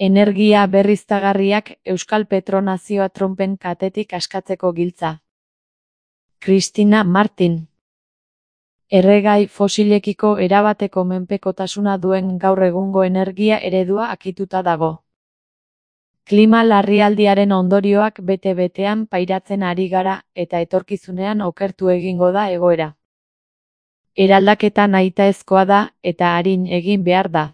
Energia berriztagarriak Euskal Petronazioa Trumpen katetik askatzeko giltza. Cristina Martin. Erregai fosilekiko erabateko menpekotasuna duen gaur egungo energia eredua akituta dago. Klima larrialdiaren ondorioak bete-betean pairatzen ari gara eta etorkizunean okertu egingo da egoera. Eraldaketa nahitaezkoa da eta arin egin behar da.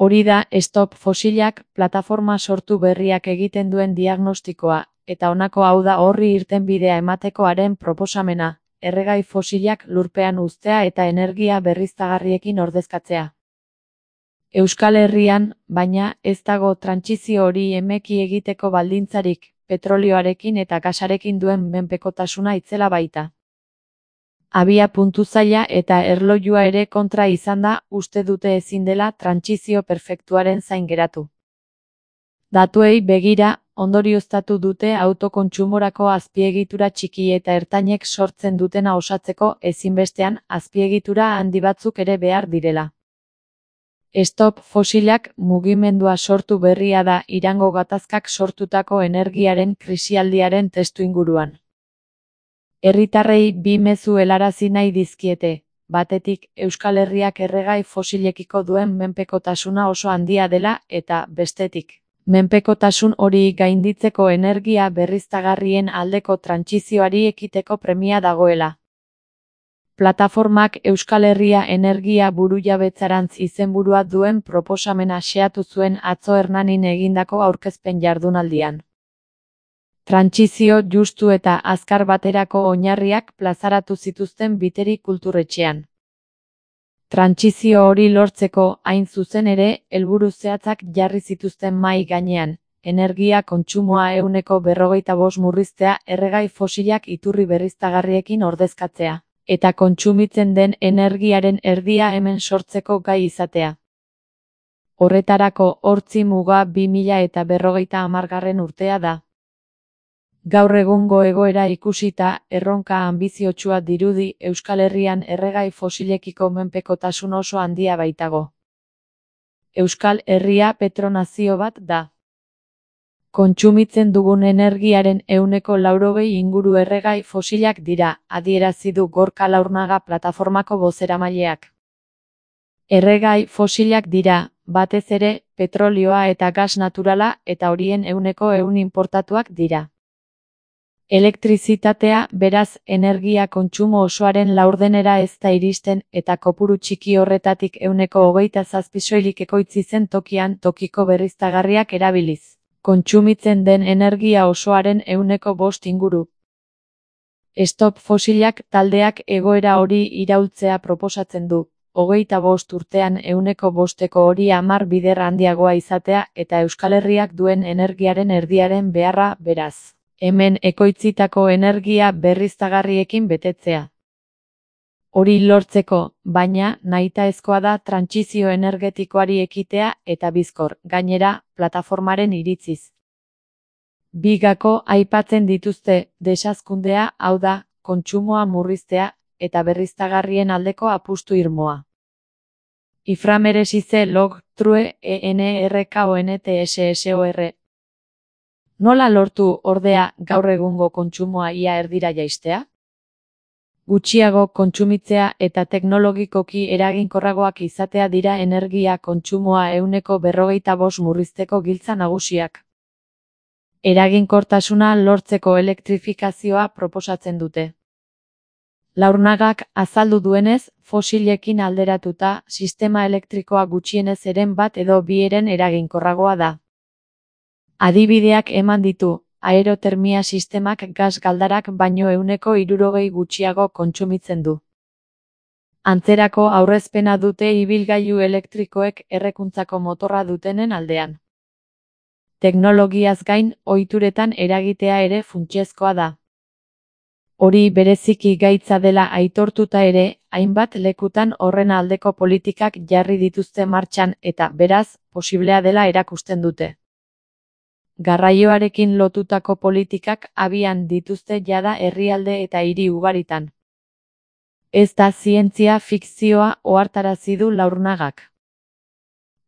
Hori da Stop Fosilak plataforma sortu berriak egiten duen diagnostikoa, eta honako hau da horri irtenbidea emateko haren proposamena, erregai fosilak lurpean uztea eta energia berriztagarriekin ordezkatzea. Euskal Herrian, baina, ez dago trantsizio hori emeki egiteko baldintzarik, petrolioarekin eta gasarekin duen menpekotasuna itzela baita. Abia puntu zaila eta erlojua ere kontra izan da, uste dute ezin dela trantsizio perfektuaren zain geratu. Datuei begira, ondorioztatu dute autokontsumorako azpiegitura txiki eta ertainek sortzen dutena osatzeko ezinbestean azpiegitura handi batzuk ere behar direla. Stop Fosilak mugimendua sortu berria da Irango gatazkak sortutako energiaren krisialdiaren testuinguruan. Herritarrei bi mezu helarazi nahi dizkiete, batetik Euskal Herriak erregai fosilekiko duen menpekotasuna oso handia dela eta, bestetik, menpekotasun hori gainditzeko energia berriztagarrien aldeko trantsizioari ekiteko premia dagoela. Plataformak Euskal Herria energia burujabetzarantz izenburua duen proposamena xeatu zuen atzo Hernanin egindako aurkezpen jardunaldian. Trantsizio justu eta azkar baterako oinarriak plazaratu zituzten Biteri kulturretxean. Trantsizio hori lortzeko, hain zuzen ere, helburu zehatzak jarri zituzten mahai gainean, energia kontsumoa 45% murriztea erregai fosilak iturri berriztagarriekin ordezkatzea, eta kontsumitzen den energiaren erdia hemen sortzeko gai izatea. Horretarako hortzi muga 2050 urtea da. Gaur egungo egoera ikusita, erronka anbiziotsua dirudi Euskal Herrian erregai fosilekiko menpekotasun oso handia baitago. Euskal Herria petronazio bat da. Kontsumitzen dugun energiaren 90% inguru erregai fosilak dira, adierazi du Gorka Laurnaga plataformako bozeramaileak. Erregai fosilak dira, batez ere, petrolioa eta gas naturala eta horien 100% inportatuak dira. Elektrizitatea, beraz, energia kontsumo osoaren laurdenera ez da iristen eta kopuru txiki horretatik 27% soilik ekoitzi zen tokian tokiko berriztagarriak erabiliz. Kontsumitzen den energia osoaren 5% inguru. Stop Fosilak taldeak egoera hori iraultzea proposatzen du. 25 urtean 5%ko hori 10 bider handiagoa izatea eta Euskal Herriak duen energiaren erdiaren beharra, beraz. Hemen ekoitzitako energia berriztagarriekin betetzea. Hori lortzeko, baina, nahitaezkoa da trantsizio energetikoari ekitea eta bizkor, gainera, plataformaren iritziz. Bigako aipatzen dituzte, desazkundea, hau da, kontsumoa murriztea, eta berriztagarrien aldeko apustu irmoa. Iframeresize log, true, ENRKONTSSOR. Nola lortu, ordea, gaur egungo kontsumoa ia erdira jaistea? Gutxiago kontsumitzea eta teknologikoki eraginkorragoak izatea dira energia kontsumoa 45% murrizteko giltza nagusiak. Eraginkortasuna lortzeko elektrifikazioa proposatzen dute. Laurnagak azaldu duenez, fosilekin alderatuta, sistema elektrikoa gutxienez eren bat edo bi eren eraginkorragoa da. Adibideak eman ditu, aerotermia sistemak gas galdarak baino 60% gutxiago kontsumitzen du. Antzerako aurrezpena dute ibilgailu elektrikoek errekuntzako motorra dutenen aldean. Teknologiaz gain, ohituretan eragitea ere funtsezkoa da. Hori bereziki gaitza dela aitortuta ere, hainbat lekutan horren aldeko politikak jarri dituzte martxan eta, beraz, posiblea dela erakusten dute. Garraioarekin lotutako politikak abian dituzte jada herrialde eta hiri ugaritan. Ez da zientzia fikzioa ohartarazi du Laurnagak.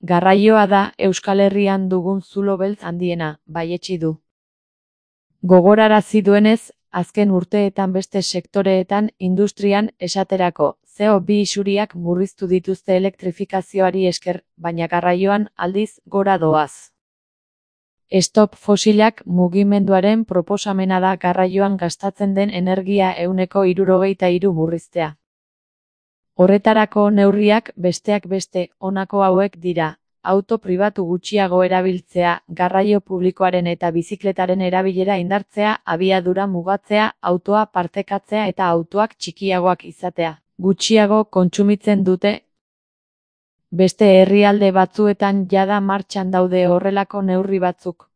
Garraioa da Euskal Herrian dugun zulo beltz handiena, baietsi du. Gogorarazi duenez, azken urteetan beste sektoreetan industrian esaterako CO2 isuriak murriztu dituzte elektrifikazioari esker, baina garraioan aldiz gora doaz. Stop fosilak mugimenduaren proposamena da garraioan gastatzen den energia 73% murriztea. Horretarako neurriak besteak beste honako hauek dira: auto pribatu gutxiago erabiltzea, garraio publikoaren eta bizikletaren erabilera indartzea, abiadura mugatzea, autoa partekatzea eta autoak txikiagoak izatea. Gutxiago kontsumitzen dute. Beste herrialde batzuetan jada martxan daude horrelako neurri batzuk.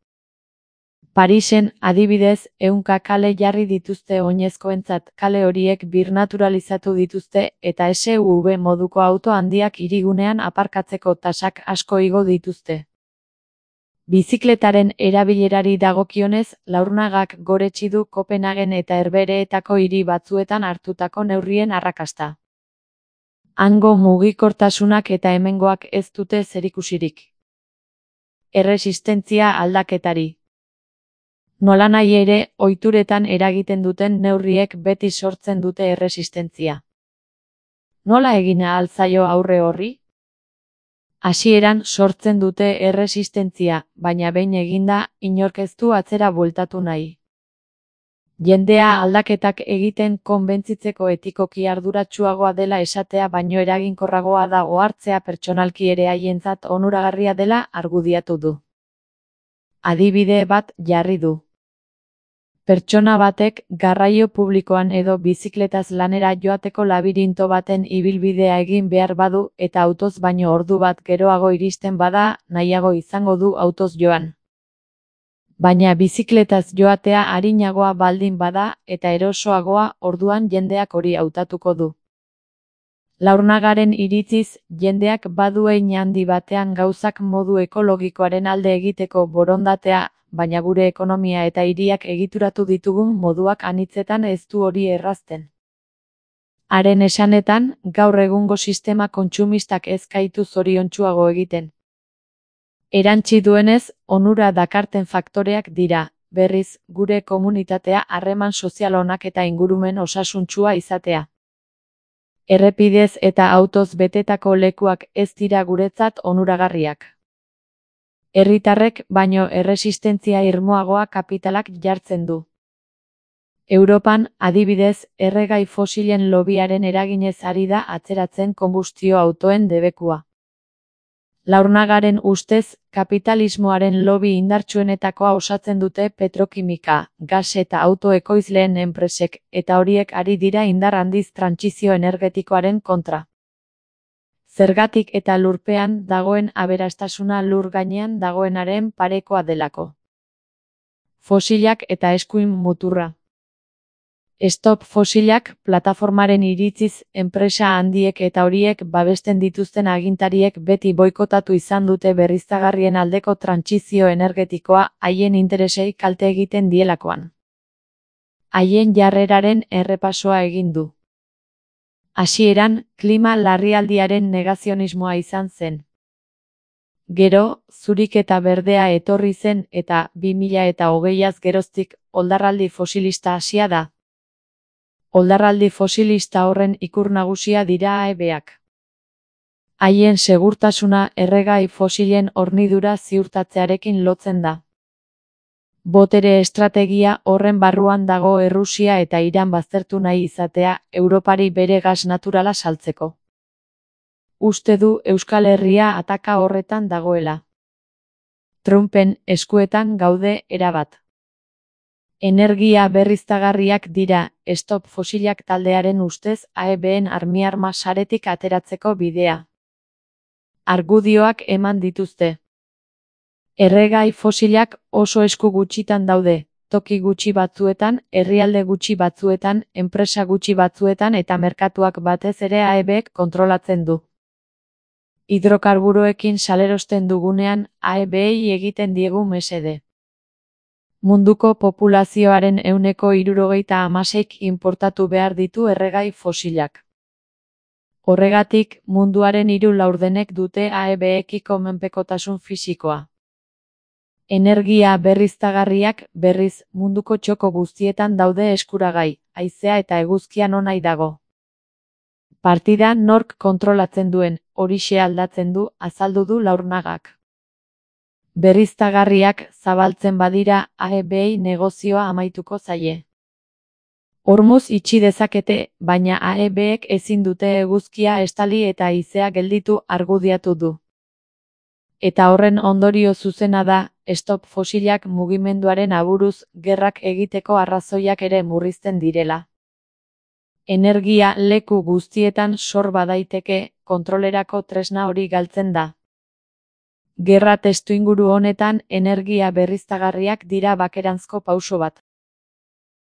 Parisen, adibidez, 100 kale jarri dituzte oinezkoentzat, kale horiek birnaturalizatu dituzte eta SUV moduko auto handiak hirigunean aparkatzeko tasak asko igo dituzte. Bizikletaren erabilerari dagokionez, Laurnagak goretsi du Kopenhagen eta Herbehereetako hiri batzuetan hartutako neurrien arrakasta. Hango mugikortasunak eta hemengoak ez dute zerikusirik. Erresistentzia aldaketari. Nolanahi ere, ohituretan eragiten duten neurriek beti sortzen dute erresistentzia. Nola egin ahal zaio aurre horri? Hasieran sortzen dute erresistentzia, baina behin eginda, inork ez du atzera bueltatu nahi. Jendea aldaketak egiten konbentzitzeko etikoki arduratsuagoa dela esatea baino eraginkorragoa da ohartzea pertsonalki ere haientzat onuragarria dela argudiatu du. Adibide bat jarri du. Pertsona batek garraio publikoan edo bizikletaz lanera joateko labirinto baten ibilbidea egin behar badu eta autoz baino ordu bat geroago iristen bada, nahiago izango du autoz joan. Baina bizikletaz joatea arinagoa baldin bada eta erosoagoa, orduan jendeak hori hautatuko du. Laurnagaren iritziz, jendeak badu hein handi batean gauzak modu ekologikoaren alde egiteko borondatea, baina gure ekonomia eta hiriak egituratu ditugun moduak anitzetan ez du hori errazten. Haren esanetan, gaur egungo sistema kontsumistak ez gaitu zoriontsuago egiten. Erantsi duenez, onura dakarten faktoreak dira, berriz, gure komunitatea harreman sozial onak eta ingurumen osasuntsua izatea. Errepidez eta autoz betetako lekuak ez dira guretzat onuragarriak. Herritarrek baino erresistentzia irmoagoa kapitalak jartzen du. Europan, adibidez, erregai fosilen lobiaren eraginez ari da atzeratzen konbustio autoen debekua. Laurnagaren ustez, kapitalismoaren lobi indartsuenetakoa osatzen dute petrokimika, gas eta auto ekoizleen enpresek, eta horiek ari dira indar handiz trantsizio energetikoaren kontra. Zergatik eta lurpean dagoen aberastasuna lur gainean dagoenaren parekoa delako. Fosilak eta eskuin muturra. Stop fosilak plataformaren iritziz, enpresa handiek eta horiek babesten dituzten agintariek beti boikotatu izan dute berriztagarrien aldeko trantsizio energetikoa haien interesei kalte egiten dielakoan. Haien jarreraren errepasoa egin du. Hasieran, klima larrialdiaren negazionismoa izan zen. Gero, zurik eta berdea etorri zen eta 2020az geroztik oldarraldi fosilista hasia da. Oldarraldi fosilista horren ikur nagusia dira AEBak. Haien segurtasuna erregai fosilen hornidura ziurtatzearekin lotzen da. Botere estrategia horren barruan dago Errusia eta Iran baztertu nahi izatea Europari bere gas naturala saltzeko. Uste du Euskal Herria ataka horretan dagoela. Trumpen eskuetan gaude erabat. Energia berriztagarriak dira, Stop fosilak taldearen ustez AEBen armiarma saretik ateratzeko bidea. Argudioak eman dituzte. Erregai fosilak oso esku gutxitan daude, toki gutxi batzuetan, herrialde gutxi batzuetan, enpresa gutxi batzuetan eta merkatuak batez ere AEBek kontrolatzen du. Hidrokarburoekin salerosten dugunean, AEBei egiten diegu mesede. Munduko populazioaren 76% inportatu behar ditu erregai fosilak. Horregatik, munduaren 3/4 dute AEB-ekiko menpekotasun fisikoa. Energia berriztagarriak, berriz, munduko txoko guztietan daude eskuragai, haizea eta eguzkia nonahi dago. Partida nork kontrolatzen duen, horixe aldatzen du, azaldu du Laurnagak. Berriztagarriak zabaltzen badira, AEB-ei negozioa amaituko zaie. Hormuz itxi dezakete, baina AEB-ek ezin dute eguzkia estali eta haizea gelditu argudiatu du. Eta horren ondorio zuzena da, stop fosilak mugimenduaren aburuz, gerrak egiteko arrazoiak ere murrizten direla. Energia leku guztietan sor badaiteke, kontrolerako tresna hori galtzen da. Gerra testuinguru honetan, energia berriztagarriak dira bakeranzko pauso bat.